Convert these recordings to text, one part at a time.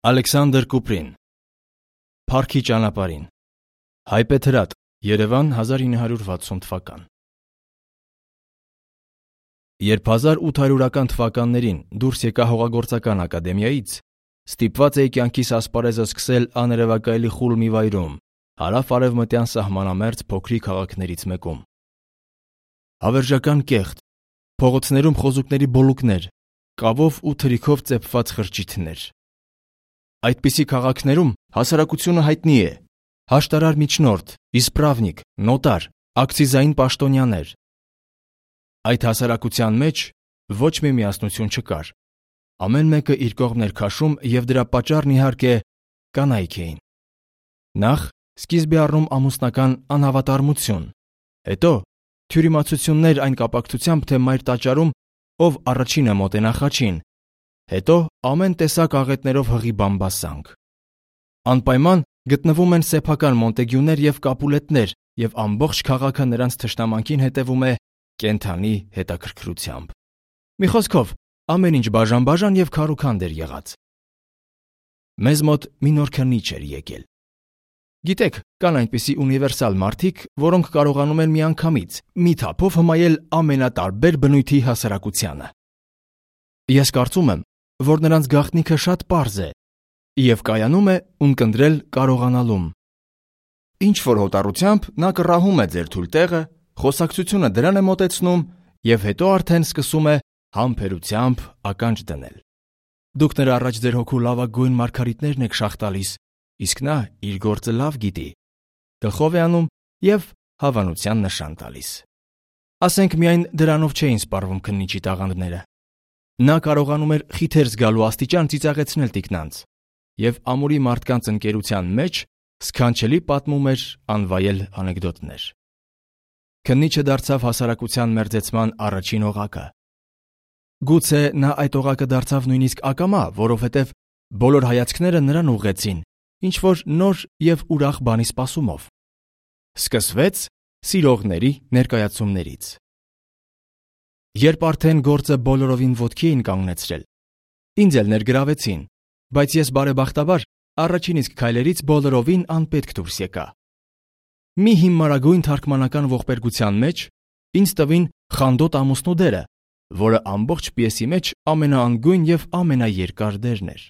Ալեքսանդր Կուպրին Փառքի ճանապարհին Հայպեթրատ, Երևան 1960 թվական Երբ 1800-ական թվականներին դուրս եկա հողագործական ակադեմիայից, ստիպված էի կյանքիս ասպարեզը սկսել աներևակայելի խուլ մի վայրում, հարավ-արևմտյան սահմանամերձ փոքրիկ քաղաքներից մեկում։ Հավերժական կեղտ, փողոցներում խոզուկների բոլուկներ, կավով ու թրիքով ծեփված խրճիթներ։ Այդպիսի քաղաքներում հասարակությունը հայտնի է. հաշտարար միջնորդ, իսպրավնիկ, նոտար, ակցիզային պաշտոնյաներ։ Այդ հասարակության մեջ ոչ մի միասնություն չկար։ Ամեն մեկը իր կողմն էր քաշում և դրա պատճառն իհարկե կանայք էին։ Նախ սկիզբ է առնում ամուսնական անհավատարմություն, հետո թյուրիմացություններ այն կապակցությամբ, թե մայր տաճարում ով առաջինը մոտենա խաչին, հետո ամեն տեսակ աղետներով հղի բամբասանք։ Անպայման գտնվում են սեփական Մոնտեգյուներ և Կապուլետներ, և ամբողջ քաղաքը նրանց թշնամանքին հետևում է կենդանի հետաքրքրությամբ։ Մի խոսքով, ամեն ինչ բաժան-բաժան և քարուքանդ էր եղած։ Մեզ մոտ մի նոր քննիչ էր եկել։ Գիտեք, կան այնպիսի ունիվերսալ մարդիկ, որոնք կարողանում են միանգամից մի թափով հմայել ամենատարբեր բնույթի հասարակությանը։ Ես կարծում եմ, որ նրանց գաղտնիքը շատ պարզ է և կայանում է ունկնդրել կարողանալում։ Ինչ-որ հոտառությամբ նա կռահում է ձեր թույլ տեղը, խոսակցությունը դրան է մոտեցնում և հետո արդեն սկսում է համբերությամբ ականջ դնել։ Դուք նրա առաջ ձեր հոգու լավագույն մարգարիտներն եք շաղ տալիս, իսկ նա իր գործը լավ գիտի, գլխով է անում և հավանության նշան տալիս։ Ասենք միայն դրանով չէին սպառվում քննիչի տաղանդները։ Նա կարողանում էր խիթեր զգալու աստիճան ծիծաղեցնել տիկնանց և ամուրի մարդկանց ընկերության մեջ սքանչելի պատմում էր անվայել անեկդոտներ։ Քննիչը դարձավ հասարակության մերձեցման առաջին օղակը։ Գուցե նա այդ օղակը դարձավ նույնիսկ ակամա, որովհետև բոլոր հայացքները նրան ուղղեցին ինչ-որ նոր և ուրախ բանի սպասումով։ Սկսվեց սիրողների ներկայացումներից։ Երբ արդեն գործը բոլորովին ոտքի էին կանգնեցրել, ինձ էլ ներգրավեցին, բայց ես բարեբախտաբար առաջին իսկ քայլերից բոլորովին անպետք դուրս եկա։ Մի հիմարագույն թարգմանական ողբերգության մեջ ինձ տվին խանդոտ ամուսնու դերը, որը ամբողջ պիեսի մեջ ամենաանգույն և ամենաերկար դերն էր։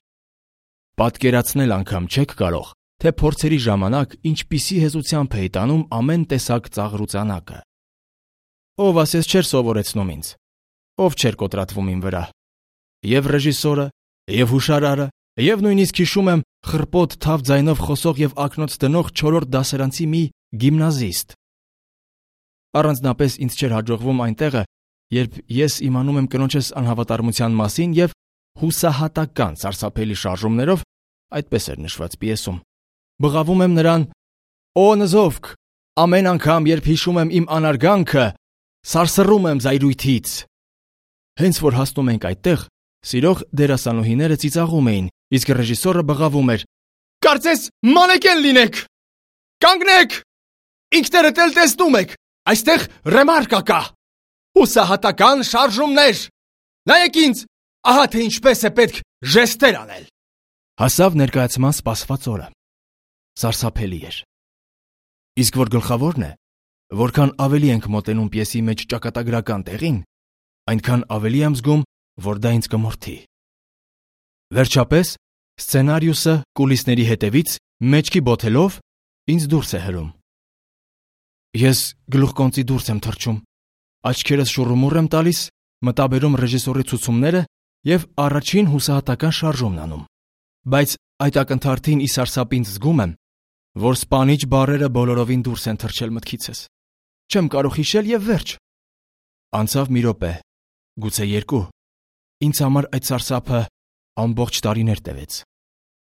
Պատկերացնել անգամ չեք կարող, թե փորձերի ժամանակ ինչպիսի հեզությամբ էի տանում ամեն տեսակ ծաղրուծանակը։ Ով ասես չէր սովորեցնում ինձ, ով չէր կոտրատվում իմ վրա։ Եվ ռեժիսորը, և հուշարարը, և նույնիսկ հիշում եմ խռպոտ թավ ձայնով խոսող և ակնոց դնող 4-րդ դասարանցի մի գիմնազիստ։ Առանձնապես ինձ չէր հաջողվում այն տեղը, երբ ես իմանում եմ կնոջս անհավատարմության մասին և հուսահատական սարսափելի շարժումներով, այդպես էր նշված պիեսում, բղավում եմ նրան. «Օ նզովք, ամեն անգամ, երբ հիշում եմ իմ անարգանքը, սարսռում եմ զայրույթից»։ Հենց որ հասնում ենք այդտեղ, սիրող դերասանուհիները ծիծաղում էին, իսկ ռեժիսորը բղավում էր. «Կարծես մանեկեն լինեք։ Կանգնեք, ինքներդ էլ տեսնում եք, այստեղ ռեմարկա կա, հուսահատական շարժումներ, նայեք ինձ, ահա թե ինչպես է պետք ժեստեր անել»։ Հասավ ներկայացման սպասված օրը։ Սարսափելի էր։ Իսկ որ գլխավորն է, որքան ավելի ենք մոտենում պիեսի մեջ ճակատագրական տեղին, այնքան ավելի եմ զգում, որ դա ինձ կմորթի։ Վերջապես սցենարիուսը կուլիսների հետևից մեջքի բոթելով ինձ դուրս է հրում։ Ես գլուխկոնծի դուրս եմ թռչում, աչքերս շուռումուռ եմ տալիս, մտաբերում ռեժիսորի ցուցումները և առաջին հուսահատական շարժումն անում։ Բայց այդ ակնթարթին ի սարսափ ինձ զգում եմ, որ սպանիչ բառերը բոլորովին դուրս են թռչել մտքիցս։ Չեմ կարող հիշել և վերջ։ Անցավ մի րոպե, գուցե 2։ Ինձ համար այդ սարսափը ամբողջ տարիներ տևեց։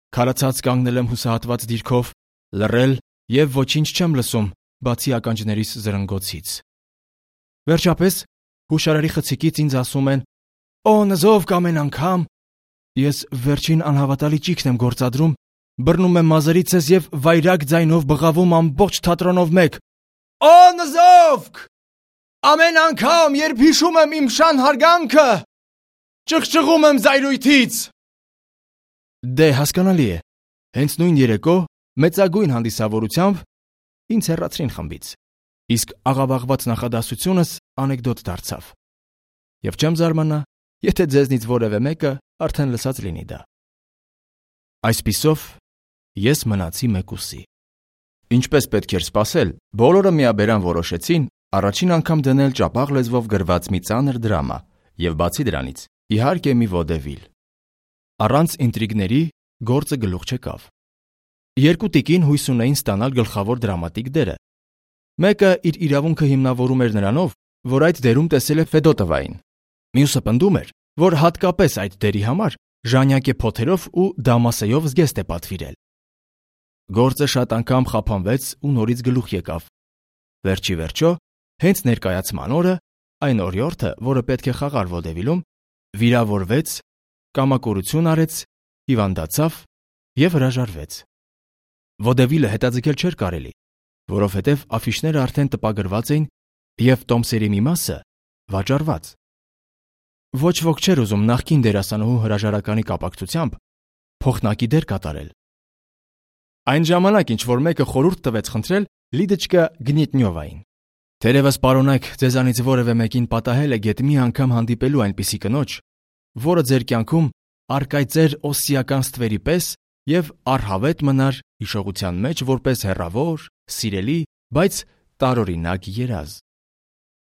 Քարացած կանգնել եմ հուսահատված դիրքով, լռել և ոչինչ չեմ լսում, բացի ականջներիս զրնգոցից։ Վերջապես հուշարարի խցիկից ինձ ասում են. «Օ նզովք ամեն անգամ»։ Ես վերջին անհավատալի ճիգն եմ գործադրում, բռնում եմ մազերիցս և վայրագ ձայնով բղավում ամբողջ թատրոնով մեկ. «Օ նզովք, ամեն անգամ, երբ հիշում եմ իմ շան հարգանքը, ճղճղում եմ զայրույթից»։ Դե հասկանալի է։ Հենց նույն երեկո մեծագույն հանդիսավորությամբ ինձ հեռացրին խմբից, իսկ աղավաղված նախադասությունս անեկդոտ դարձավ։ Եվ չեմ զարմանա, եթե ձեզնից որևէ մեկը արդեն լսած լինի դա։ Այսպիսով, ես մնացի մեկուսի։ Ինչպես պետք էր սպասել, բոլորը միաբերան որոշեցին առաջին անգամ դնել ճապաղ լեզվով գրված մի ծանր դրամա եւ բացի դրանից, իհարկե մի ոդևիլ։ Առանց ինտրիգների գործը գլուխ չեկավ։ Երկու տիկին հույս ունեին ստանալ գլխավոր դրամատիկ դերը։ Մեկը իր իրավունքը հիմնավորում էր նրանով, որ այդ դերում տեսել է Ֆեդոտովային։ Մյուսը պնդում էր, որ հատկապես այդ դերի համար ժանյակե փոթերով ու դամասեյով զգեստ է պատվիրել։ Գործը շատ անգամ խափանվեց ու նորից գլուխ եկավ։ Վերջի վերջո, հենց ներկայացման օրը, այն օրիորդը, որը պետք է խաղար ոդևիլում, վիրավորվեց, կամակորություն արեց, հիվանդացավ եւ հրաժարվեց։ Ոդևիլը հետաձգել չէր կարելի, որովհետև աֆիշները արդեն տպագրված էին եւ տոմսերի մի մասը վաճառված։ Ոչ ոք չէր ուզում նախկին դերասանուհու հրաժարականի կապակցությամբ փոխնակի դեր կատարել։ Այն ժամանակ ինչ որ մեկը խորհուրդ տվեց խնդրել Լիդոչկա Գնետնյովային։ Թերևս պարոնայք ձեզանից որևէ մեկին պատահել է գետ մի անգամ հանդիպելու այնպիսի կնոջ, որը ձեր կյանքում արկայծեր օսիական ստվերի պես եւ առհավետ մնար հիշողության մեջ որպես հեռավոր, սիրելի, բայց տարօրինակ երազ։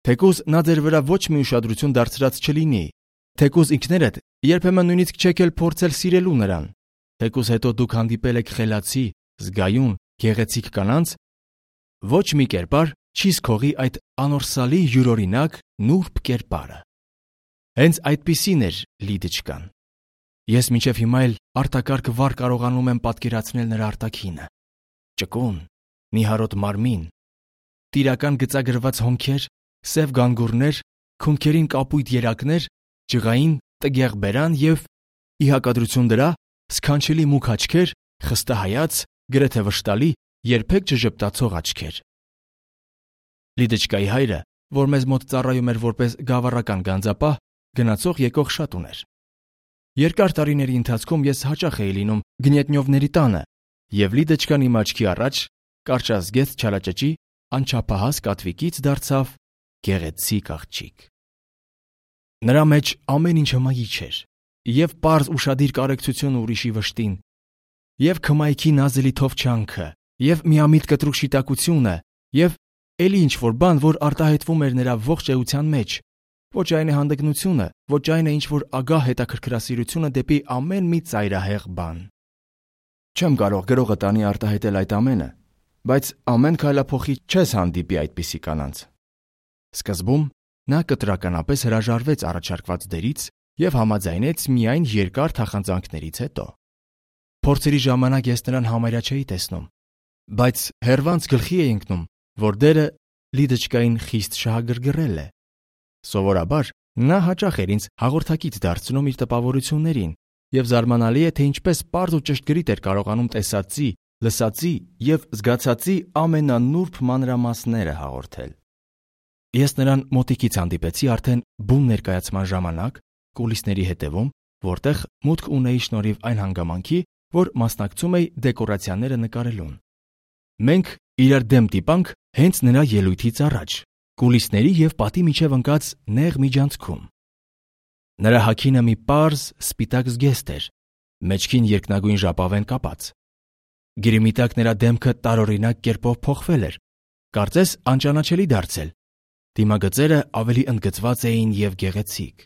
Թեկուզ նա ձեր վրա ոչ մի ուշադրություն դարձրած չլինի, թեկուզ ինքներդ երբեմն նույնիսկ չեք էլ փորձել սիրելու նրան, թեկուզ հետո դուք հանդիպել եք խելացի, զգայուն, գեղեցիկ կանանց, ոչ մի կերպար չի զքողի այդ անորսալի յուրօրինակ նուրբ կերպարը։ Հենց այդպիսին էր Լիդոչկան։ Ես մինչև հիմա էլ արտակարգ վառ կարողանում եմ պատկերացնել նրա արտաքինը։ Ճկուն, նիհարոտ մարմին, տիրական գծագրված հոնքեր, սև գանգուրներ, քունքերին կապույտ երակներ, ջղային տգեղ բերան եւ ի հակադրություն դրա սքանչելի մուգ աչքեր, խստահայաց, գրեթե վշտալի, երբեք չժպտացող աչքեր։ Լիդոչկայի հայրը, որ մեզ մոտ ծառայում էր որպես գավառական գանձապահ, գնացող եկող շատ ուներ։ Երկար տարիների ընթացքում ես հաճախ էի լինում Գնետնյովների տանը, եւ Լիդոչկան իմ աչքի առաջ կարճազգեստ չարաճճի անչափահաս կատվիկից դարձավ գեղեցիկ աղջիկ։ Նրա մեջ ամեն ինչ հմայիչ էր, եւ պարզ ուշադիր կարեկցությունը ուրիշի վշտին, եւ քմայքի նազելի թովչանքը, եւ միամիտ կտրուկ շիտակությունը, եւ էլի ինչ որ բան, որ արտահայտվում էր նրա ողջ էության մեջ, ոչ այն է հանդգնությունը, ոչ այն է ինչ որ ագահ հետաքրքրասիրությունը դեպի ամեն մի ծայրահեղ բան։ Չեմ կարող գրողը տանի արտահայտել այդ ամենը, բայց ամեն քայլափոխի չես հանդիպի այդպիսի կանանց։ Սկզբում նա կտրականապես հրաժարվեց առաջարկված դերից եւ համաձայնեց միայն երկար թախանձանքներից հետո։ Փորձերի ժամանակ ես նրան համարյա չէի տեսնում, բայց հերվանց գլխի էի ընկնում, որ դերը Լիդոչկային խիստ շահագրգռել է։ Սովորաբար նա հաճախ էր ինձ հաղորդակից դարձնում իր տպավորություններին, եւ զարմանալի է, թե ինչպես պարզ ու ճշգրիտ էր կարողանում տեսածի, լսածի եւ զգացածի ամենանուրբ մանրամասները հաղորդել։ Ես նրան մոտիկից հանդիպեցի արդեն բուն ներկայացման ժամանակ, կուլիսների հետևում, որտեղ մուտք ունեի շնորհիվ այն հանգամանքի, որ մասնակցում էի դեկորացիաները նկարելուն։ Մենք իրար դեմ տիպանք հենց նրա ելույթից առաջ, կուլիսների եւ պատի միջև ընկած նեղ միջանցքում։ Նրա հագինը մի պարզ սպիտակ զգեստ էր, մեջքին երկնագույն ժապավեն կապած։ Գրիմի տակ նրա դեմքը տարօրինակ կերպով փոխվել էր, կարծես անճանաչելի դարձել։ Դիմագծերը ավելի ընդգծված էին եւ գեղեցիկ։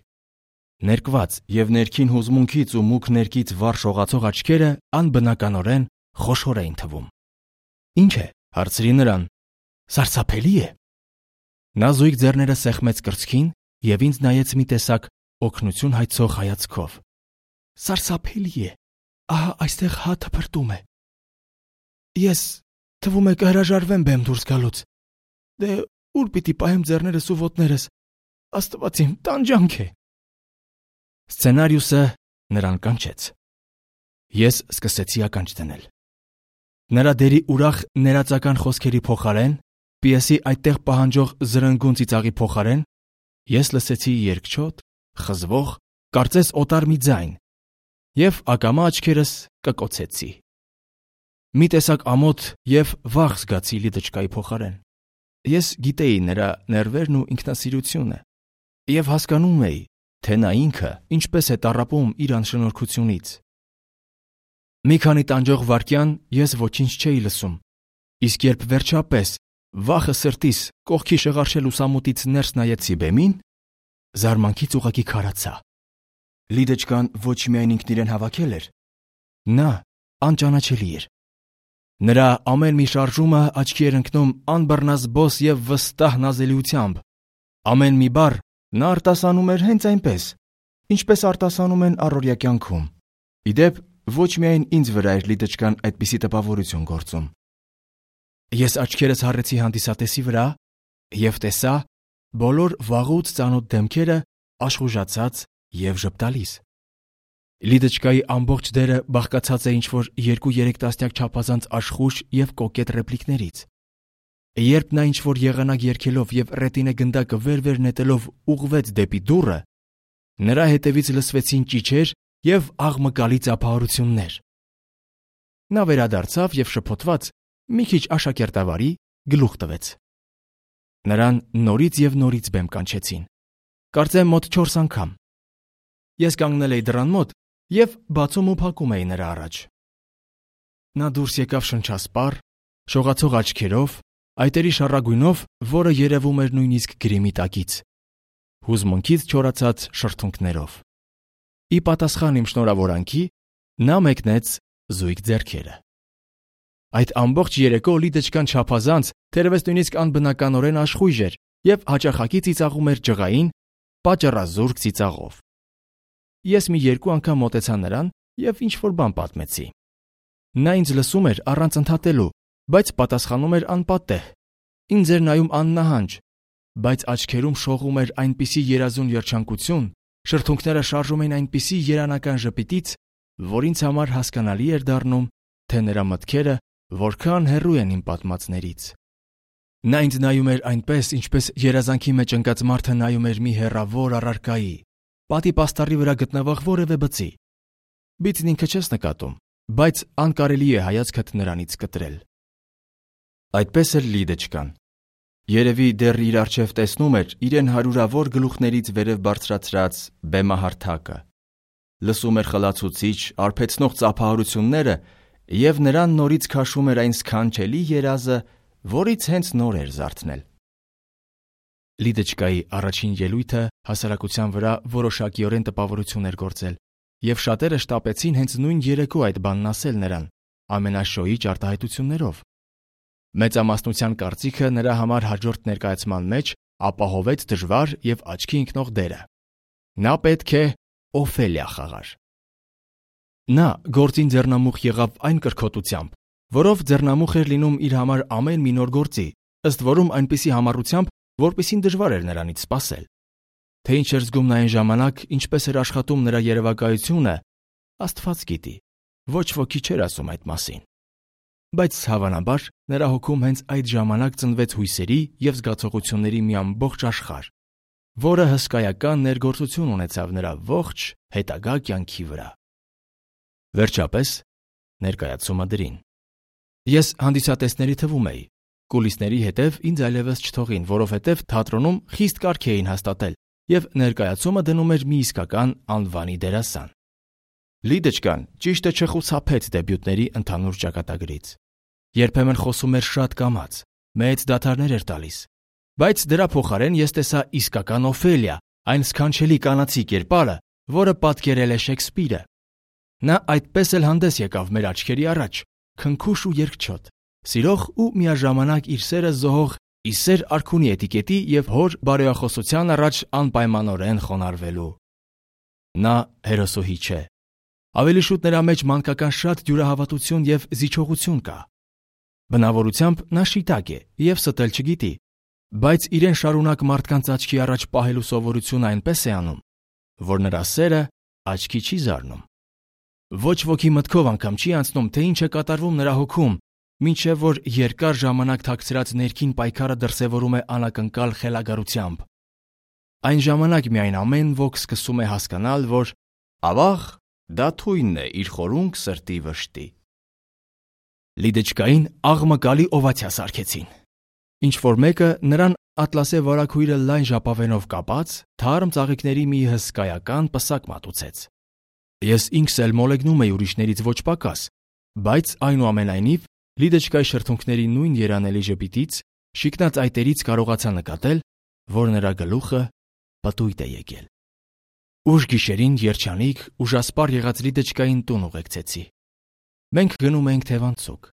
Ներկված եւ ներքին հուզմունքից ու մուգ ներքից վառ շողացող աչքերը անբնականորեն խոշոր էին թվում։ Ինչ է, հարցրի նրան։ Սարսափելի է։ Նա զույգ ձեռները սեղմեց կրծքին եւ ինձ նայեց մի տեսակ օգնություն հայցող հայացքով։ Սարսափելի է։ Ահա այստեղ հաթը փրտում է։ Ես թվում է կհրաժարվեմ բեմ դուրս գալուց։ Դե ուր պիտի պահեմ ձեռներս ու ոտներս։ Աստված իմ, տանջանք է։ Սցենարիուսը նրան կանչեց։ Ես սկսեցի ականջ դնել։ Նրա դերի ուրախ ներածական խոսքերի փոխարեն, պիեսի այդտեղ պահանջող զրնգուն ծիծաղի փոխարեն, ես լսեցի երկչոտ, խզվող, կարծես օտար մի ձայն։ և ակամա աչքերս կկոցեցի։ Մի տեսակ ամոթ և վախ զգացի Լիդոչկայի փոխարեն։ Ես գիտեի նրա ներվերն ու ինքնասիրությունը և հասկանում էի, թե նա ինքը ինչպես է տառապում իր անշնորհքությունից։ Մի քանի տանջող վայրկյան ես ոչինչ չէի լսում, իսկ երբ վերջապես վախը սրտիս կողքի շղարշել լուսամուտից ներս նայեցի բեմին, զարմանքից ուղղակի քարացա։ Լիդոչկան ոչ միայն ինքն իրեն հավաքել էր, նա անճանաչելի էր։ Նրա ամեն մի շարժումը աչքի էր ընկնում անբռնազբոս և վստահ նազելիությամբ։ Ամեն մի բառ նա արտասանում էր հենց այնպես, ինչպես արտասանում են առօրյա կյանքում։ Ի դեպ, ոչ միայն ինձ վրա էր Լիդոչկան այդպիսի տպավորություն գործում։ Ես աչքերս հառեցի հանդիսատեսի վրա և տեսա բոլոր վաղուց ծանոթ դեմքերը աշխուժացած և ժպտալիս։ Լիդոչկայի ամբողջ դերը բաղկացած է ինչ-որ 2-3 տասնյակ չափազանց աշխույժ և կոկետ ռեպլիկներից։ Երբ նա ինչ-որ եղանակ երգելով և ռետինե գնդակը վեր-վեր նետելով ուղղվեց դեպի դուռը, նրա հետևից լսվեցին ճիչեր և աղմկալի ծափահարություններ։ Նա վերադարձավ և շփոթված, մի քիչ աշակերտավարի գլուխ տվեց։ Նրան նորից և նորից բեմ կանչեցին, կարծեմ մոտ 4 անգամ։ Ես կանգնել էի դռան մոտ և բացում ու փակում էի նրա առաջ։ Նա դուրս եկավ շնչասպառ, շողացող աչքերով, այտերի շառագույնով, որը երևում էր նույնիսկ գրիմի տակից, հուզմունքից չորացած շրթունքներով։ Ի պատասխան իմ շնորհավորանքի նա մեկնեց զույգ ձեռքերը։ Այդ ամբողջ երեկո Լիդոչկան չափազանց, թերևս նույնիսկ անբնականորեն աշխույժ էր և հաճախակի ծիծաղում էր ջղային, պատճառազուրկ ծիծաղով։ Ես մի 2 անգամ մոտեցա նրան և ինչ-որ բան պատմեցի։ Նա ինձ լսում էր առանց ընդհատելու, բայց պատասխանում էր անպատեհ, ինձ էր նայում աննահանջ, բայց աչքերում շողում էր այնպիսի երազուն երջանկություն, շրթունքները շարժում էին այնպիսի երանական ժպիտից, որ ինձ համար հասկանալի էր դառնում, թե նրա մտքերը որքան հեռու են իմ պատմածներից։ Նա ինձ նայում էր այնպես, ինչպես երազանքի մեջ ընկած մարդը նայում էր մի հեռավոր առարկայի, պատի պաստառի վրա գտնվող որևէ բծի։ Բիծն ինքը չես նկատում, բայց անկարելի է հայացքդ նրանից կտրել։ Այդպես էր Լիդոչկան։ Երևի դեռ իր առջև տեսնում էր իրեն հարյուրավոր գլուխներից վերև բարձրացրած բեմահարթակը, լսում էր խլացուցիչ, արբեցնող ծափահարությունները և նրան նորից քաշում էր այն սքանչելի երազը, որից հենց նոր էր զարթնել։ Լիդոչկայի առաջին ելույթը հասարակության վրա որոշակիորեն տպավորություն էր գործել, և շատերը շտապեցին հենց նույն երեկո այդ բանն ասել նրան, ամենաշոյիչ արտահայտություններով։ Մեծամասնության կարծիքը նրա համար հաջորդ ներկայացման մեջ ապահովեց դժվար և աչքի ընկնող դերը։ Նա պետք է Օֆելիա խաղար։ Նա գործին ձեռնամուխ եղավ այն կրքոտությամբ, որով ձեռնամուխ էր լինում իր համար ամեն մի նոր գործի, ըստ որում այնպիսի համառությամբ, որպիսին դժվար էր նրանից սպասել։ Թե ինչ էր զգում նա այն ժամանակ, ինչպես էր աշխատում նրա երևակայությունը, Աստված գիտի, ոչ ոքի չէր ասում այդ մասին։ Բայց հավանաբար նրա հոգում հենց այդ ժամանակ ծնվեց հույսերի և զգացողությունների մի ամբողջ աշխարհ, որը հսկայական ներգործություն ունեցավ նրա ողջ հետագա կյանքի վրա։ Վերջապես ներկայացումը դրին։ Ես հանդիսատեսների թվում էի, կուլիսների հետև ինձ այլևս չթողին, որովհետև թատրոնում խիստ կարգ էին հաստատել, և ներկայացումը դնում էր մի իսկական անվանի դերասան։ Լիդոչկան ճիշտը չխուսափեց դեբյուտների ընդհանուր ճակատագրից։ Երբեմն խոսում էր շատ կամաց, մեծ դադարներ էր տալիս, բայց դրա փոխարեն ես տեսա իսկական Օֆելիա, այն սքանչելի կանացի կերպարը, որը պատկերել է Շեքսպիրը։ Նա այդպես էլ հանդես եկավ մեր աչքերի առաջ, քնքուշ ու երկչոտ, սիրող ու միաժամանակ իր սերը զոհող իսեր արքունի էտիկետի և հոր բարոյախոսության առաջ անպայմանորեն խոնարհվելու։ Նա հերոսուհի չէ։ Ավելի շուտ նրա մեջ մանկական շատ դյուրահավատություն և զիջողություն կա։ Բնավորությամբ նա շիտակ է և ստել չգիտի, բայց իրեն շարունակ մարդկանց աչքի առաջ պահելու սովորությունը այնպես է անում, որ նրա սերը աչքի չի զարնում։ Ոչ ոքի մտքով անգամ չի անցնում, թե ինչ է կատարվում նրա հոգում, մինչև որ երկար ժամանակ թաքցրած ներքին պայքարը դրսևորում է անակնկալ խելագարությամբ։ Այն ժամանակ միայն ամեն ոք սկսում է հասկանալ, որ ավաղ դա թույնն է իր խորունկ սրտի վշտի։ Լիդեչկային աղմկալի օվացիա սարքեցին։ Ինչ որ մեկը նրան ատլասե վարագույրը լայն ժապավենով կապած, թարմ ծաղիկների մի հսկայական պսակ մատուցեց։ Ես ինքս էլ մոլեգնում էի ուրիշներից ոչ պակաս, բայց այնուամենայնիվ Լիդեչկայի շրթունքների նույն երանելի ժպիտից, շիկնած այտերից կարողացա նկատել, որ նրա գլուխը պտույտ է եկել։ Ուշ գիշերին երջանիկ, ուժասպառ եղած Լիդեչկային տուն ուղեկցեցի։ Մենք գնում էինք թևանցուկ։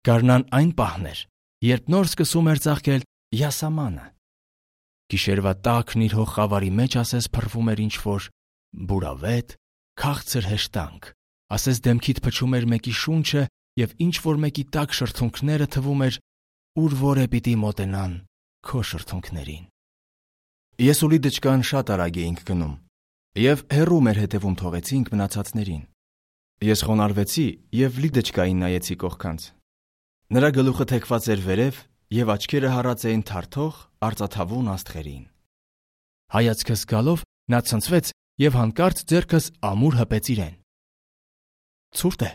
Գարնան այն պահն էր, երբ նոր սկսում էր ծաղկել յասամանը։ Գիշերվա տաքն իր հող խավարի մեջ ասես փռվում էր ինչ-որ բուրավետ, քաղցր հեշտանք, ասես դեմքիդ փչում էր մեկի շունչը և ինչ-որ մեկի տաք շրթունքները թվում էր, ուր որ է պիտի մոտենան քո շրթունքներին։ Ես ու Լիդեչկան շատ արագ էինք գնում, և հեռու մեր հետևում թողեցինք մնացածներին։ Ես խոնարհվեցի և Լիդեչկային նայեցի կողքանց։ Նրա գլուխը թեքված էր վերև և աչքերը հառած էին թարթող, արծաթավուն աստղերին։ Հայացքս գալով նա ցնցվեց և հանկարծ ձեռքս ամուր հպեց իրեն։ «Ցուրտ է»,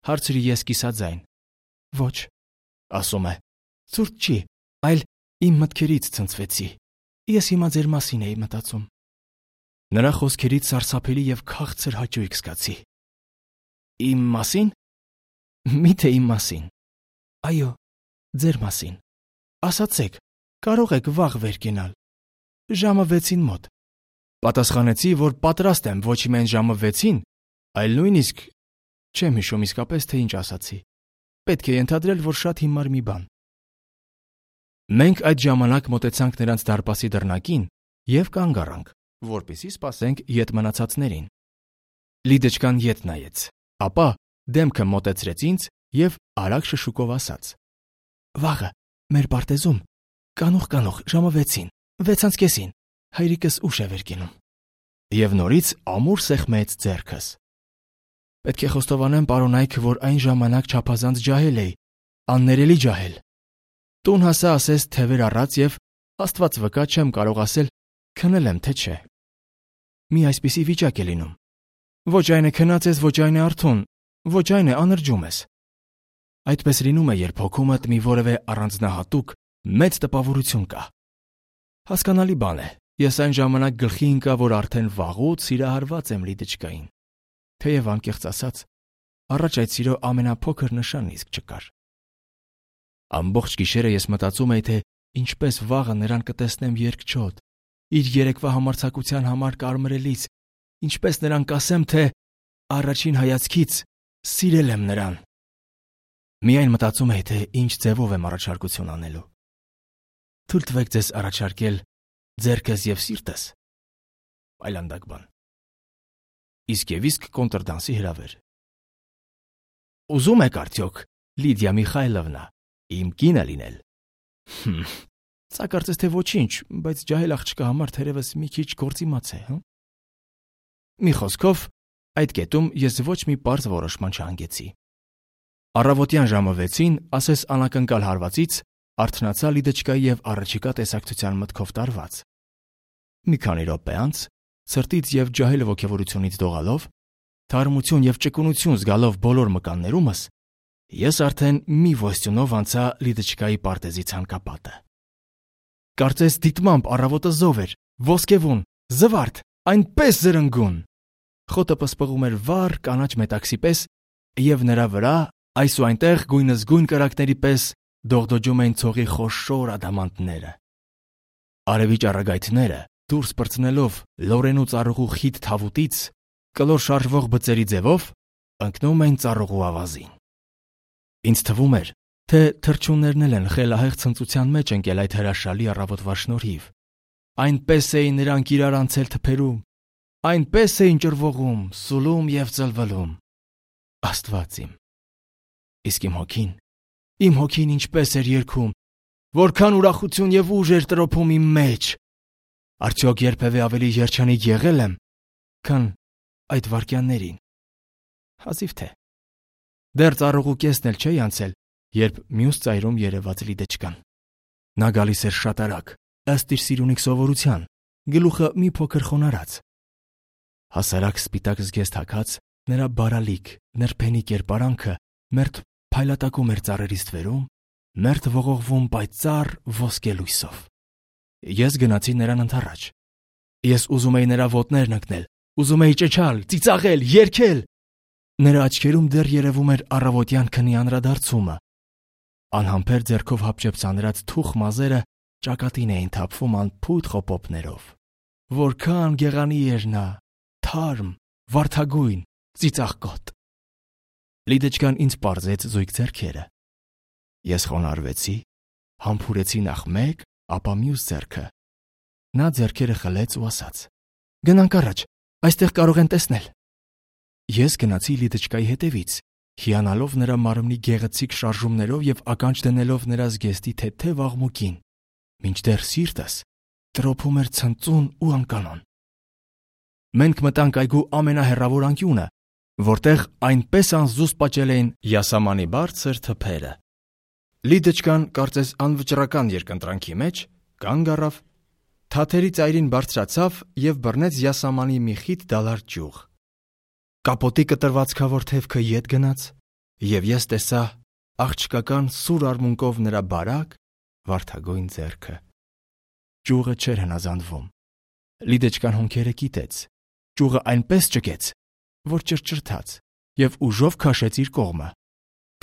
հարցրի ես կիսաձայն։ «Ոչ», ասում է, «ցուրտ չի, այլ իմ մտքերից ցնցվեցի։ Ես հիմա ձեր մասին էի մտածում»։ Նրա խոսքերից սարսափելի և քաղցր հաճույք զգացի։ «Իմ մասին»։ «Միթե իմ մասին»։ «Այո, ձեր մասին։ Ասացեք, կարող եք վաղ վեր կենալ։ Ժամը 6-ին մոտ»։ Պատասխանեցի, որ պատրաստ եմ ոչ միայն ժամը 6-ին, այլ նույնիսկ չեմ հիշում իսկապես, թե ինչ ասացի։ Պետք է ենթադրել, որ շատ հիմար մի բան։ Մենք այդ ժամանակ մոտեցանք նրանց դարպասի դռնակին և կանգ առանք, որպեսզի սպասենք ետ մնացածներին։ Լիդեչկան ետ նայեց, ապա դեմքը մոտեցրեց ինձ և արագ շշուկով ասաց. «Վաղը, մեր պարտեզում, կանուխ, ժամը 6-ին, 6:30, հայրիկս ուշ է վեր կենում»։ Եվ նորից ամուր սեղմեց ձեռքս։ Պետք է խոստովանեմ, պարոնայք, որ այն ժամանակ չափազանց ջահել էի, աններելի ջահել։ Տուն հասա ասես թևեր առած և Աստված վկա չեմ կարող ասել քնել եմ, թե չէ։ Մի այսպիսի վիճակ է լինում։ Ոչ այն է քնած ես, ոչ այն է արթուն, ոչ այն է անրջում ես։ Այդպես լինում է, երբ հոգումդ մի որևէ առանձնահատուկ մեծ տպավորություն կա։ Հասկանալի բան է, ես այն ժամանակ գլխի ընկա, որ արդեն վաղուց սիրահարված եմ Լիդեչկային, թեև անկեղծ ասած, առաջ այդ սիրո ամենափոքր նշանն իսկ չկար։ Ամբողջ գիշերը ես մտածում էի, թե ինչպես վաղը նրան կտեսնեմ երկչոտ, իր երեկվա համարձակության համար կարմրելիս, ինչպես նրան կասեմ, թե առաջին հայացքից սիրել եմ նրան։ Միայն մտածում էի, թե ինչ ձևով եմ առաջարկություն անելու։ Թույլ տվեք ձեզ առաջարկել ձեռքս և սիրտս։ Այլանդակ բան։ Իսկ և իսկ կոնտրդանսի հրավեր։ Ուզում եք արդյոք, Լիդիա Միխայլովնա, իմ կինը լինել։ Սա կարծես թե ոչինչ, բայց ջահել աղջկա համար թերևս մի քիչ գործիմաց է, հը։ Մի խոսքով, այդ կետում ես ոչ մի պարզ որոշման չհանգեցի։ Առավոտյան ժամը 6-ին, ասես անակնկալ հարվածից, արթնացա Լիդեչկայի և առաջիկա տեսակցության մտքով տարված։ Մի քանի րոպե անց, սրտից և ջահել ոգևորությունից դողալով, թարմություն և ճկունություն զգալով բոլոր մկաններումս, ես արդեն մի ոստյունով անցա Լիդեչկայի պարտեզի ցանկապատը։ Կարծես դիտմամբ առավոտը զով էր, ոսկևուն, զվարթ, այնպես զրնգուն։ Խոտը պսպղում էր վառ կանաչ մետաքսի պես, և նրա վրա այս ու այնտեղ գույնզգույն կրակների պես դողդոջում էին ցողի խոշոր ադամանդները։ Արևի ճառագայթները, դուրս պրծնելով լորենու ծառուղու խիտ թավուտից, կլոր շարժվող բծերի ձևով ընկնում էին ծառուղու ավազին։ Ինձ թվում էր, թե թռչուններն էլ են խելահեղ ցնծության մեջ ընկել այդ հրաշալի առավոտվա շնորհիվ։ Այնպես էին նրանք իրար անցել թփերում, այնպես էին ճռվողում, սուլում և ծլվլում։ Աստված իմ։ Իսկ իմ հոգին ինչպես էր երգում, որքան ուրախություն և ուժ էր տրոփում իմ մեջ։ Արդյոք երբևէ ավելի երջանիկ եղել եմ, քան այդ վայրկյաններին։ Հազիվ թե։ Դեռ ծառուղու կեսն էլ չէի անցել, երբ մյուս ծայրում երևաց Լիդեչկան։ Նա գալիս էր շատ արագ, ըստ իր սիրունիկ սովորության, գլուխը մի փոքր խոնարհած։ Հասարակ սպիտակ զգեստ հագած, նրա բարալիկ, նրբենի կերպարանքը մերթ փայլատակում էր ծառերի ստվերում, մերթ ողողվում պայծառ ոսկե լույսով։ Ես գնացի նրան ընդառաջ։ Ես ուզում էի նրա ոտներն ընկնել, ուզում էի ճչալ, ծիծաղել, երգել։ Նրա աչքերում դեռ երևում էր առավոտյան քնի անդրադարձումը։ Անհամբեր ձեռքով հապճեպ-ցանրած թուխ մազերը ճակատին էին թափվում անփույթ խոպոպներով։ Որքան գեղանի էր նա, թարմ, վարդագույն, ծիծաղկոտ։ Լիդեչկան ինձ պարզեց զույգ ձեռքերը։ Ես խոնարհվեցի, համբուրեցի նախ մեկ, ապա մյուս ձեռքը։ Նա ձեռքերը խլեց ու ասաց. «Գնանք առաջ, այստեղ կարող են տեսնել»։ Ես գնացի Լիդեչկայի հետևից, հիանալով նրա մարմնի գեղեցիկ շարժումներով եւ ականջ դնելով նրա զգեստի թեթև աղմուկին, մինչդեռ սիրտս տրոփում էր ցնծուն ու անկանոն։ Մենք մտանք այգու ամենահեռավոր անկյունը, որտեղ այնպես անզուսպ աճել էին յասամանի բարձր թփերը։ Լիդեչկան, կարծես անվճռական երկընտրանքի մեջ, կանգ առավ, թաթերի ծայրին բարձրացավ եւ բռնեց յասամանի մի խիտ դալար ճյուղ։ Կապոտի կտրվածքավոր թևքը ետ գնաց, եւ ես տեսա աղջկական սուր արմունկով նրա բարակ, վարդագույն ձեռքը։ Ճյուղը չէր հնազանդվում։ Լիդեչկան հոնքերը կիտեց, ճյուղը այնպես ճկեց, որ ճրճրթաց եւ ուժով քաշեց իր կողմը։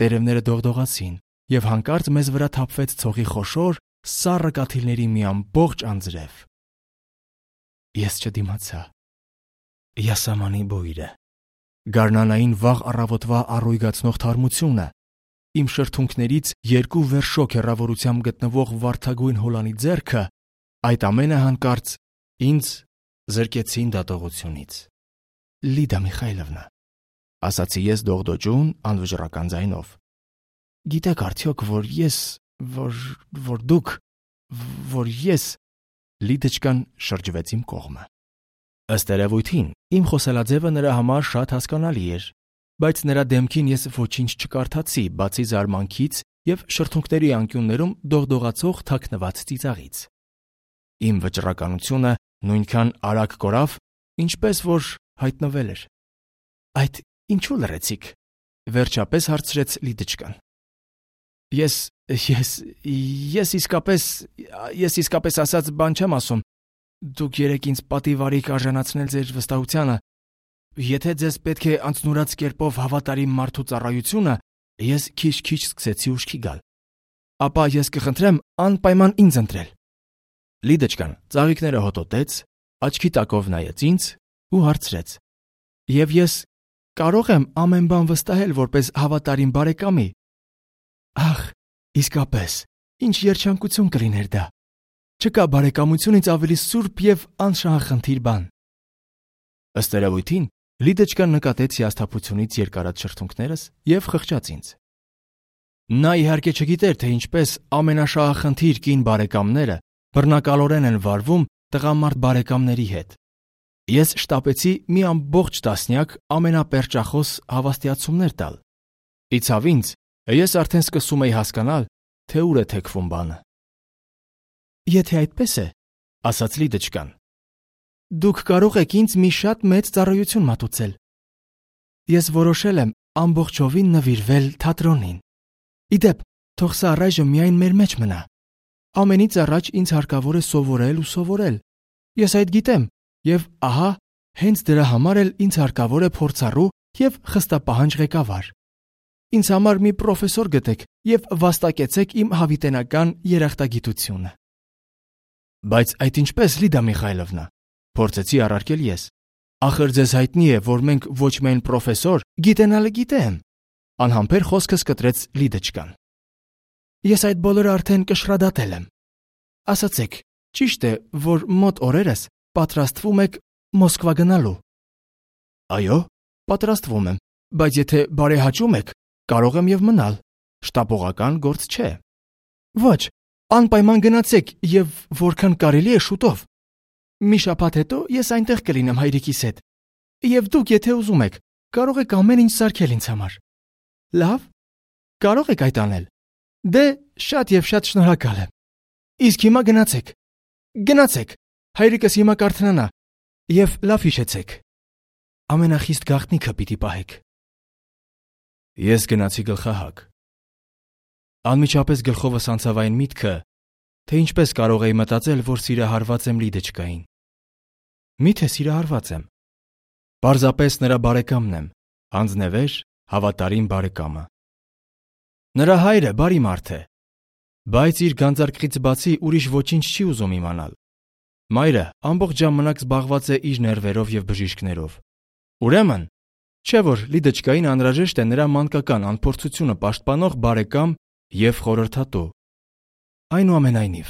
Տերևները դողդողացին եւ հանկարծ մեզ վրա թափվեց ցողի խոշոր, սառը կաթիլների մի ամբողջ անձրև։ Ես չդիմացա։ Յասամանի բույրը, գարնանային վաղ առավոտվա առույգացնող թարմությունը, իմ շրթունքներից 2 վերշոք հեռավորությամբ գտնվող վարդագույն հոլանի ձեռքը, այդ ամենը հանկարծ ինձ զրկեցին դատողությունից։ Լիդա Միխայլովնա, ասացի ես դողդոջուն անվճռական ձայնով, գիտեք արդյոք, որ ես Լիդեչկան շրջվեց իմ կողմը։ Ըստ երևույթին, իմ խոսելաձևը նրա համար շատ հասկանալի էր, բայց նրա դեմքին ես ոչինչ չկարդացի, բացի զարմանքից եւ շրթունքների անկյուններում դողդողացող թաքնված ծիծաղից։ Իմ վճռականությունը նույնքան արագ կորավ, ինչպես որ հայտնվել էր։ Այդ ինչու լռեցիք, վերջապես հարցրեց Լիդեչկան։ Ես իսկապես ասած բան չեմ ասում։ Դուք երեք ինձ պատիվ արիք արժանացնել ձեր վստահությանը։ Եթե ձեզ պետք է անձնուրաց կերպով հավատարիմ մարդու ծառայությունը, ես քիչ-քիչ սկսեցի ուշքի գալ։ Ապա ես կխնդրեմ անպայման ինձ ընտրել։ Լիդեչկան ծաղիկները հոտոտեց, աչքի տակով նայեց ինձ ու հարցրեց. Եվ ես կարող եմ ամեն բան վստահել որպես հավատարիմ բարեկամի։ Ախ, իսկապես, ինչ երջանկություն կլիներ դա։ Չկա բարեկամությունից ավելի սուրբ եւ անշահախնդիր բան։ Ըստ երևույթին, Լիդեչկան նկատեց հիասթափությունից երկարած շրթունքներս եւ խղճաց ինձ։ Նա իհարկե չգիտեր, թե ինչպես ամենաշահախնդիր կին բարեկամները բռնակալորեն են վարվում տղամարդ բարեկամների հետ։ Ես շտապեցի մի ամբողջ տասնյակ ամենապերճախոս հավաստիացումներ տալ։ Իցավ ինձ, ես արդեն սկսում էի հասկանալ, թե ուր է թեքվում բանը։ Եթե այդպես է, ասաց Լիդեչկան, դուք կարող եք ինձ մի շատ մեծ ծառայություն մատուցել։ Ես որոշել եմ ամբողջովին նվիրվել թատրոնին։ Իդեպ, թող սա առայժմ միայն մեր մեջ մնա։ Ամենից առաջ ինձ հարկավոր է սովորել ու սովորել։ Ես այդ գիտեմ, եւ ահա, հենց դրա համար էլ ինձ հարկավոր է փորձառու եւ խստապահանջ ղեկավար։ Ինձ համար մի պրոֆեսոր գտեք եւ վաստակեցեք իմ հավիտենական երախտագիտությունը։ Բայց այդ ինչպես, Լիդա Միխայլովնա, փորձեցի առարկել ես։ Ախր ձեզ հայտնի է, որ մենք ոչ միայն պրոֆեսոր, գիտենալը գիտեմ։ Անհամբեր խոսքս կտրեց Լիդեչկան։ Ես այդ բոլորը արդեն կշռադատել եմ։ Ասացեք, ճիշտ է, որ մոտ օրերս պատրաստվում եք Մոսկվա գնալու։ Այո, պատրաստվում եմ, բայց եթե բարեհաճում եք, կարող եմ եւ մնալ։ Շտապողական գործ չէ։ Ոչ, անպայման գնացեք եւ որքան կարելի է շուտով։ Մի շաբաթ հետո ես այնտեղ կլինեմ հայրիկիս հետ։ Եվ դուք, եթե ուզում եք, կարող եք ամեն ինչ սարքել ինձ համար։ Լավ, կարող եք այդ անել։ Դե, շատ եւ շատ շնորհակալ եմ։ Իսկ հիմա գնացեք։ Գնացեք։ Հայրիկս հիմա կարթնանա։ Եվ լավ հիշեցեք։ ամենախիստ գաղտնիքը պիտի պահեք։ Ես գնացի գլխահակ։ Անմիջապես գլխովս անցավ այն միտքը, թե ինչպես կարող էի մտածել, որ սիրահարված եմ Լիդեչկային։ Միթե սիրահարված եմ։ Պարզապես նրա բարեկամն եմ, անձնևեր, հավատարիմ բարեկամը։ Նրա հայրը բարի մարդ է, բայց իր գանձարկղից բացի ուրիշ ոչինչ չի ուզում իմանալ։ Մայրը ամբողջ ժամանակ զբաղված է իր ներվերով և բժիշկներով։ Ուրեմն, չէ՞ որ Լիդեչկային անհրաժեշտ է նրա մանկական անփորձությունը պաշտպանող բարեկամ և խորհրդատու։ Այնուամենայնիվ,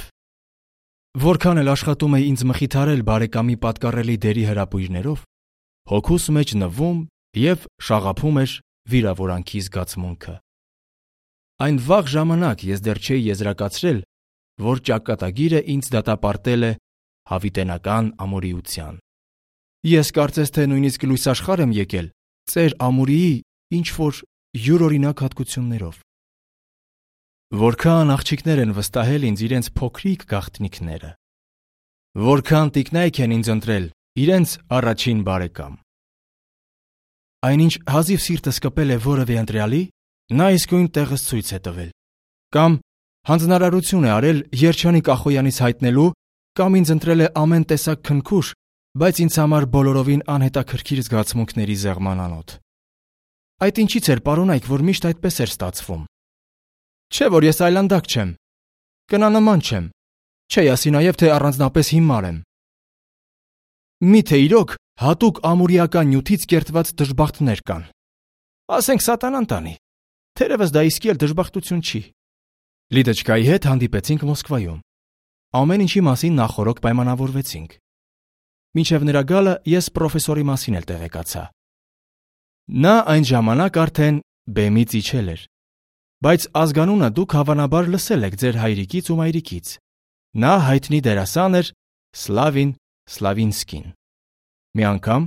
որքան էլ աշխատում էի ինձ մխիթարել բարեկամի պատկառելի դերի հրապույրներով, հոգուս մեջ նվում և շաղափում էր վիրավորանքի զգացմունքը։ Այն վաղ ժամանակ ես դեռ չէի եզրակացրել, որ ճակատագիրը ինձ դատապարտել է հավիտենական ամուրիության։ Ես կարծես թե նույնիսկ լույս աշխարհ եմ եկել ծեր ամուրիի ինչ-որ յուրօրինակ հատկություններով։ Որքան աղջիկներ են վստահել ինձ իրենց փոքրիկ գաղտնիքները։ Որքան տիկնայք են ինձ ընտրել իրենց առաջին բարեկամ։ Այնինչ հազիվ սիրտս կպել է որևէ ընտրյալի, նա իսկույն տեղս ցույց է տվել, կամ հանձնարարություն է արել Երջանիկ Ախոյանից հայտնելու, կամ ինձ ընտրել է ամեն տեսակ քնքուշ, բայց ինձ համար բոլորովին անհետաքրքիր զգացմունքների զեղման անոթ։ Այդ ինչից էր, պարոնայք, որ միշտ այդպես էր ստացվում։ Չէ՞ որ ես այլանդակ չեմ, կնանման չեմ, չէ ասի նաև, թե առանձնապես հիմար եմ։ Միթե իրոք հատուկ ամուրիական նյութից կերտված դժբախտներ կան։ Ասենք սատանան տանի, թերևս դա իսկի էլ դժբախտություն չի։ Լիդեչկայի հետ հանդիպեցինք Մոսկվայում։ Ամեն ինչի մասին նախօրոք պայմանավորվեցինք։ Մինչև նրա գալը ես պրոֆեսորի մասին էլ տեղեկացա։ Նա այն ժամանակ արդեն բեմից իջել էր, բայց ազգանունը դուք հավանաբար լսել եք ձեր հայրիկից ու մայրիկից։ Նա հայտնի դերասան էր Սլավին Սլավինսկին։ Մի անգամ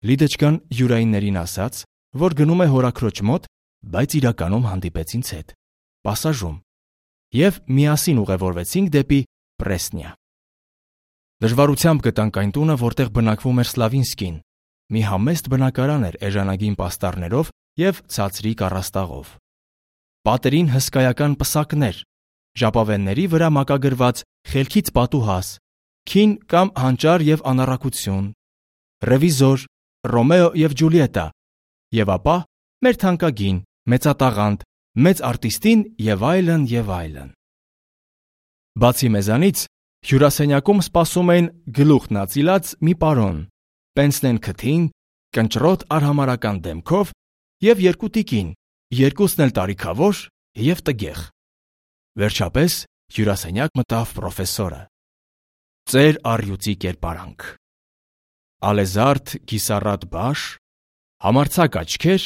Լիդեչկան յուրայիններին ասաց, որ գնում է հորաքրոջ մոտ, բայց իրականում հանդիպեց ինձ հետ, պասաժում, և միասին ուղևորվեցինք դեպի Պրեսնիա։ Դժվարությամբ գտանք այն տունը, որտեղ բնակվում էր Սլավինսկին, մի համեստ բնակարան էր էժանագին պաստառներով և ցածրիկ առաստաղով։ Պատերին հսկայական պսակներ, ժապավենների վրա մակագրված խելքից պատուհաս, քին կամ հանճար և անառակություն, ռևիզոր, Ռոմեո և Ջուլիետա, և ապա մեր թանկագին, մեծատաղանդ, մեծ արտիստին և այլն և այլն։ Բացի մեզանից, հյուրասենյակում սպասում էին գլուխն ածիլած մի պարոն, պենսնեն քթին, կնճռոտ արհամարհական դեմքով և երկու տիկին, երկուսն էլ տարիքավոր և տգեղ։ Վերջապես հյուրասենյակ մտավ պրոֆեսորը։ Ծեր առյուծի կերպարանք, ալեզարդ կիսառատ բաշ, համարձակ աչքեր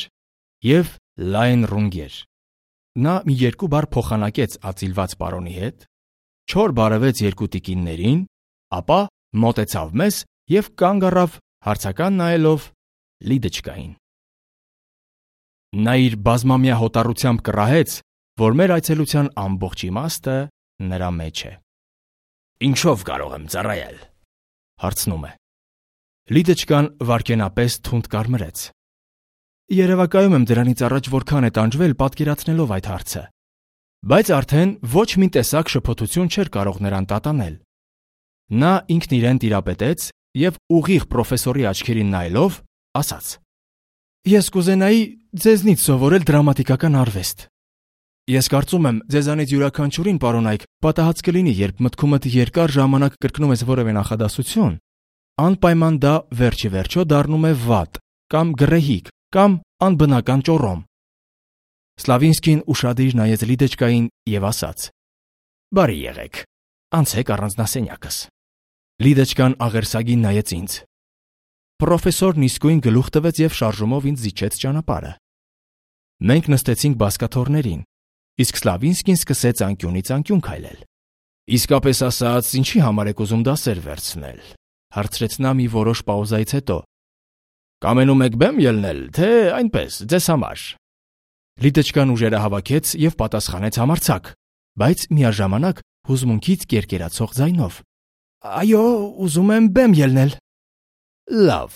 և լայն ռունգեր։ Նա մի երկու բառ փոխանակեց ածիլված պարոնի հետ, չոր բարևեց երկու տիկիններին, ապա մոտեցավ մեզ և կանգ առավ հարցական նայելով Լիդեչկային։ Նա իր բազմամյա հոտառությամբ կռահեց, որ մեր այցելության ամբողջ իմաստը նրա մեջ է։ Ինչո՞վ կարող եմ ծառայել, հարցնում է։ Լիդեչկան վայրկենապես թունդ կարմրեց։ Երևակայում եմ դրանից առաջ որքան է տանջվել պատկերացնելով այդ հարցը, բայց արդեն ոչ մի տեսակ շփոթություն չէր կարող նրան տատանել։ Նա ինքն իրեն տիրապետեց և ուղիղ պրոֆեսորի աչքերին նայելով ասաց. Ես կուզենայի ձեզնից սովորել դրամատիկական արվեստ։ Ես կարծում եմ, ձեզանից յուրաքանչյուրին, պարոնայք, պատահած կլինի, երբ մտքումդ երկար ժամանակ կրկնում ես որևէ նախադասություն, անպայման դա վերջի վերջո դառնում է վատ կամ գռեհիկ կամ անբնական ճոռոմ։ Սլավինսկին ուշադիր նայեց Լիդեչկային և ասաց. Բարի եղեք, անցեք առանձնասենյակս։ Լիդեչկան աղերսագին նայեց ինձ։ Պրոֆեսորն իսկույն գլուխ տվեց և շարժումով ինձ զիջեց ճանապարհը։ Մենք նստեցինք բազկաթոռներին, իսկ Սլավինսկին սկսեց անկյունից անկյուն քայլել։ Իսկապես ասած, ինչի համար եք ուզում դասեր վերցնել, հարցրեց նա մի որոշ պաուզայից հետո։ Կամենում եք բեմ ելնել, թե այնպես, ձեզ համար։ Լիդեչկան ուժերը հավաքեց և պատասխանեց համարձակ, բայց միաժամանակ հուզմունքից կերկերացող ձայնով. Այո, ուզում եմ բեմ ելնել։ Լավ,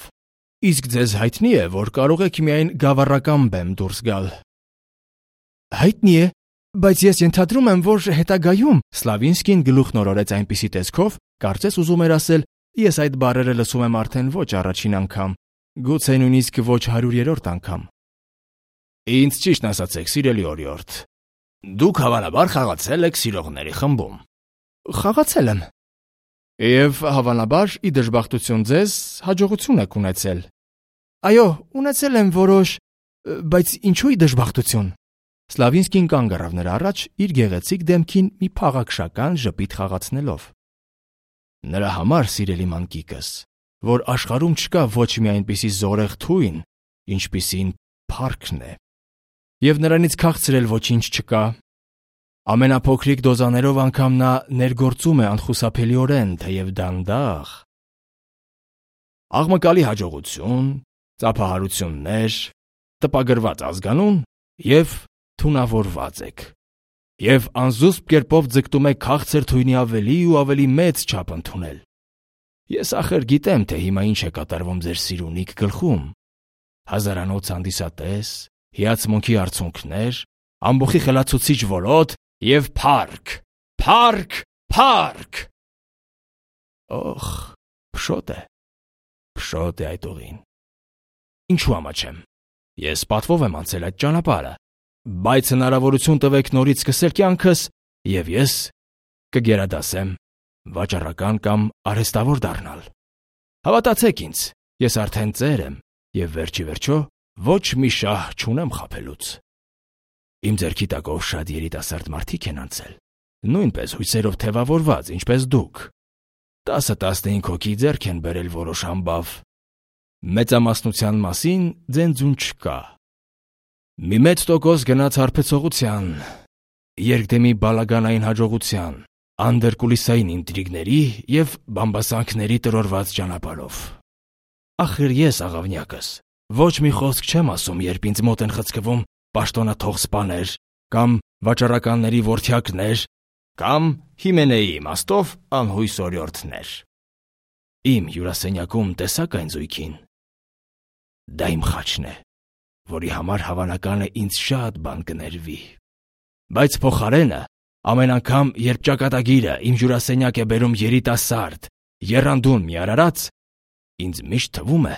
Իսկ ձեզ հայտնի է, որ կարող եք միայն գավառական բեմ դուրս գալ։ Հայտնի է, բայց ես ենթադրում եմ, որ հետագայում Սլավինսկին գլուխն օրորեց այնպիսի տեսքով, կարծես ուզում էր ասել. ես այդ բառերը լսում եմ արդեն ոչ առաջին անգամ, գուցե նույնիսկ ոչ 100-րդ անգամ։ Ինձ ճիշտն ասացեք, սիրելի օրիորդ, դուք հավանաբար խաղացել եք սիրողների խմբում։ Խաղացել եմ։ Եվ հավանաբար ի դժբախտություն ձեզ հաջողություն եք ունեցել։ Այո, ունեցել եմ որոշ, բայց ինչու ի դժբախտություն։ Սլավինսկին կանգ առավ նրա առաջ իր գեղեցիկ դեմքին մի փաղաքշական ժպիտ խաղացնելով։ Նրա համար, սիրելի մանկիկս, որ աշխարհում չկա ոչ մի այնպիսի զորեղ թույն, ինչպիսին փառքն է։ Եվ նրանից քաղցրել ոչինչ չկա։ Ամենափոքրիկ դոզաներով անգամ նա ներգործում է անխուսափելիորեն, թեև դանդաղ։ Աղմկալի հաջողություն, ծափահարություններ, տպագրված ազգանուն և թունավորված եք։ Եվ անզուսպ կերպով ձգտում եք քաղցր թույնի ավելի ու ավելի մեծ չափ ընդունել։ Ես ախր գիտեմ, թե հիմա ինչ է կատարվում ձեր սիրունիկ գլխում։ Հազարանոց հանդիսատես, հիացմունքի արցունքներ, ամբոխի խելացուցիչ որոտ և փառք, փառք, փառք։ Օխ, փշոտ է այդ ուղին։ Ինչու ամաչեմ։ Ես պատվով եմ անցել այդ ճանապարհը, բայց հնարավորություն տվեք նորից սկսել կյանքս, և ես կգերադասեմ վաճառական կամ արհեստավոր դառնալ։ Հավատացեք ինձ, ես արդեն ծեր եմ և վերջի վերջո ոչ մի շահ չունեմ խաբելուց։ Իմ ձեռքի տակով շատ երիտասարդ մարդիկ են անցել, նույնպես հույսերով թևավորված, ինչպես դուք։ 10-15 հոգի ձեռք են բերել որոշ համբավ։ Մեծամասնության մասին ձենձուն չկա։ Մի մեծ տոկոս գնաց հարբեցողության, երկդեմի բալագանային հաջողության, անդերկուլիսային ինտրիգների և բամբասանքների տրորված ճանապարհով։ Ախր ես աղավնյակս ոչ մի խոսք չեմ ասում, երբ ինձ մոտ են խցկվում պաշտոնաթող սպաներ կամ վաճառականների որդյակներ կամ Հիմենեի իմաստով անհույս օրիորդներ։ Իմ հյուրասենյակում տեսաք այն զույգին։ Դա իմ խաչն է, որի համար հավանական է ինձ շատ բան կներվի։ Բայց փոխարենը, ամեն անգամ, երբ ճակատագիրը իմ հյուրասենյակ է բերում երիտասարդ, եռանդուն մի արարած, ինձ միշտ թվում է,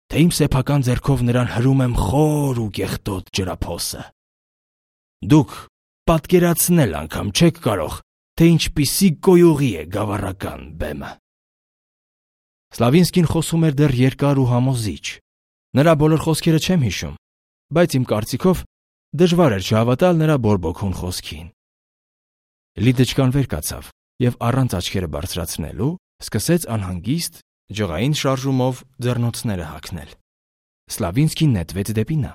թե իմ սեփական ձեռքով նրան հրում եմ խոր ու կեղտոտ ջրափոսը։ Դուք պատկերացնել անգամ չեք կարող, թե ինչպիսի գոյուղի է գավառական բեմը։ Սլավինսկին խոսում էր դեռ երկար ու համոզիչ։ Նրա բոլոր խոսքերը չեմ հիշում, բայց իմ կարծիքով դժվար էր չհավատալ նրա բորբոքուն խոսքին։ Լիդեչկան վեր կացավ և առանց աչքերը բարձրացնելու սկսեց անհանգիստ, ջղային շարժումով ձեռնոցները հագնել։ Սլավինսկին նետվեց դեպի նա։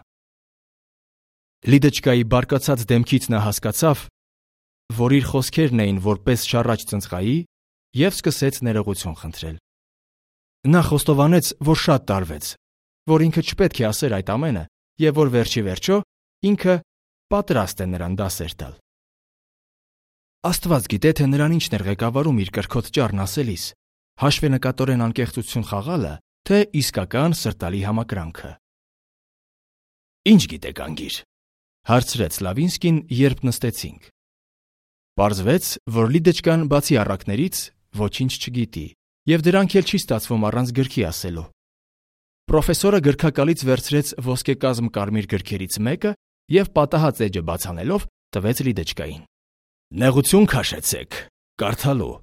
Լիդեչկայի բարկացած դեմքից նա հասկացավ, որ իր խոսքերն էին որպես շառաչ ծնծղայի, և սկսեց ներողություն խնդրել։ Նա խոստովանեց, որ շատ տարվեց, որ ինքը չպետք է ասեր այդ ամենը և որ վերջի վերջո ինքը պատրաստ է նրան դասեր տալ։ Աստված գիտե, թե նրան ինչն էր ղեկավարում իր կրքոտ ճառն ասելիս, հաշվենկատորեն անկեղծություն խաղալը, թե իսկական սրտալի համակրանքը։ Ինչ գիտեք անգիր, հարցրեց Սլավինսկին, երբ նստեցինք։ Պարզվեց, որ Լիդեչկան բացի առակներից ոչինչ չգիտի, և դրանք էլ չի ստացվում առանց գրքի ասելու։ Պրոֆեսորը գրքակալից վերցրեց ոսկեկազմ կարմիր գրքերից մեկը և պատահած էջը բաց անելով տվեց Լիդեչկային։ Նեղություն քաշեցեք, կարդալու։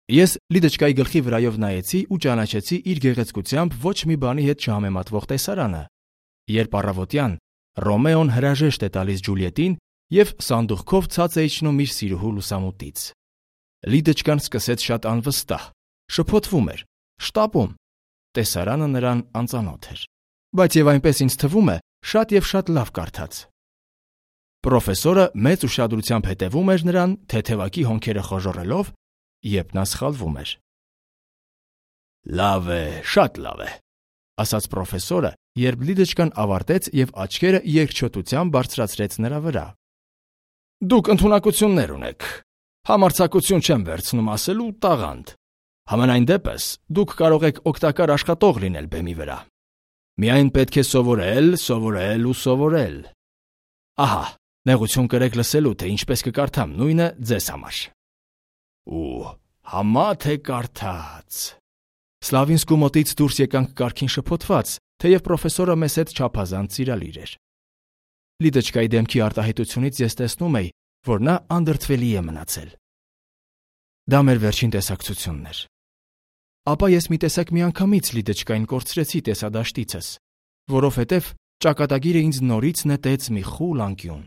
Ես Լիդեչկայի գլխի վրայով նայեցի ու ճանաչեցի իր գեղեցկությամբ ոչ մի բանի հետ չհամեմատվող տեսարանը, երբ առավոտյան Ռոմեոն հրաժեշտ է տալիս Ջուլիետին և սանդուղքով ցած է իջնում իր սիրուհու լուսամուտից։ Լիդեչկան սկսեց շատ անվստահ, շփոթվում էր, շտապում։ Տեսարանը նրան անծանոթ էր, բայց և այնպես ինձ թվում է, շատ և շատ լավ կարդաց։ Պրոֆեսորը մեծ ուշադրությամբ հետևում էր նրան, թեթևակի հոնքերը խոժոռելով, երբ նա սխալվում էր։ Լավ է, շատ լավ է, ասաց պրոֆեսորը, երբ Լիդեչկան ավարտեց և աչքերը երկչոտությամբ բարձրացրեց նրա վրա։ Դուք ընդունակություններ ունեք, համարձակություն չեմ վերցնում ասելու տաղանդ, Համենայն դեպս, դուք կարող եք օգտակար աշխատող լինել բեմի վրա։ Միայն պետք է սովորել, սովորել ու սովորել։ Ահա, նեղություն կրեք լսելու, թե ինչպես կկարդամ նույնը ձեզ համար։ Ու համա թե կարդաց։ Սլավինսկու մոտից դուրս եկանք կարգին շփոթված, թեև պրոֆեսորը մեզ հետ չափազանց սիրալիր էր։ Լիդոչկայի դեմքի արտահայտությունից ես տեսնում էի, որ նա անդրդվելի է մնացել։ Դա մեր վերջին տեսակցությունն էր։ Ապա ես մի տեսակ միանգամից Լիդոչկային կորցրեցի տեսադաշտիցս, որովհետև ճակատագիրը ինձ նորից նետեց մի խուլ անկյուն։